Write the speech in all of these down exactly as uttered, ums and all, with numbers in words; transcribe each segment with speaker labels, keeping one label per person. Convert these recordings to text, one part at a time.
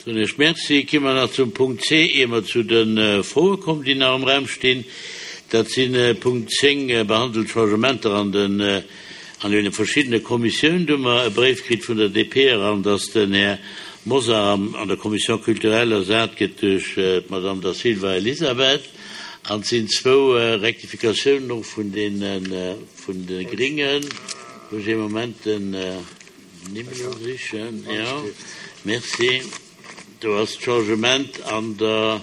Speaker 1: Soen ech Merci. Gi mer nach zum Punkt C, ier mer zu de Froe kommen, déi nach am Raum stinn. Dat sinn Punkt zéng, behandelt Changementer an den an deene verschiddene Kommissiounen. Do hu mer e Bréif kritt vun der D P eran, dass den Här Mosar am an der Commission culturelle ersat gëtt duerch d'Madame Da Silva Elisabeth. An et sinn zwou Rektifikatiounen och vun deene vun de Gringen. Wou ech ee Moment den Nimm elo sichen. Jo, merci. Do ass d'Changement an der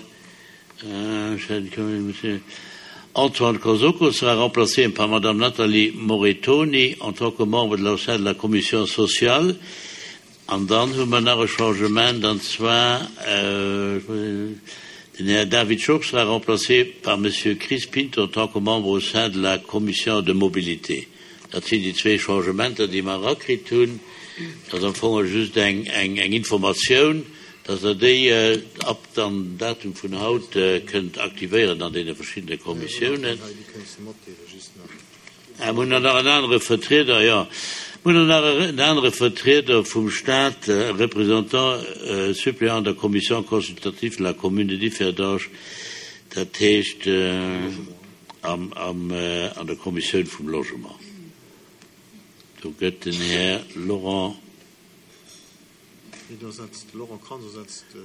Speaker 1: Antoine Kosoko sera remplacé par Madame Nathalie Moretoni en tant que membre de la, au sein de la commission sociale. An dann hu mer nach e Changement, an zwar den Här David Schoch sera remplacé par Monsieur Chris Pinto en tant que membre au sein de la commission de mobilité. Dat sinn déi zwee Changementer, déi mer erakritt hunn. Dat ass am Fong just eng, eng, eng Informatioun, dass Der déi ab dann Datum vun haut kënnt aktivéieren an deene verschiddene Kommissiounen. Mir hunn dann nach en anere Vertrieder, jo, mir hunn dann nach en anere Vertrieder vum Staat, Représentant suppléant an der Commission consultative de la commune de Differdange, dat heescht am, am, an der Kommissioun vum Logement. Do gëtt den Här Laurent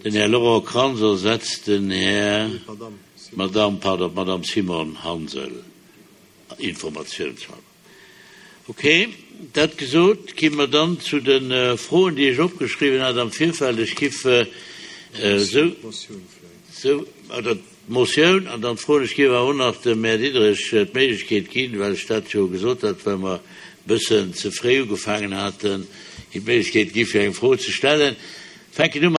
Speaker 1: Den Här Laurent Kranz ersetzt den Här Madame, pardon, Madame Simon Hansel, informatiounshalber. Okay, dat gesot, gi mer dann zu de Froen, déi ech opgeschriwwen hat am Virfeld. Ech giff esou, esou, oder d'Motioun an dann d'Froen. Ech giff awer och nach dem Här Diderich d'Méiglechkeet ginn, well ech dat jo gesot hat, well mer e bëssen ze fréi ugefaangen haten, him d'Méiglechkeet gi fir eng Fro ze stellen. Fänken u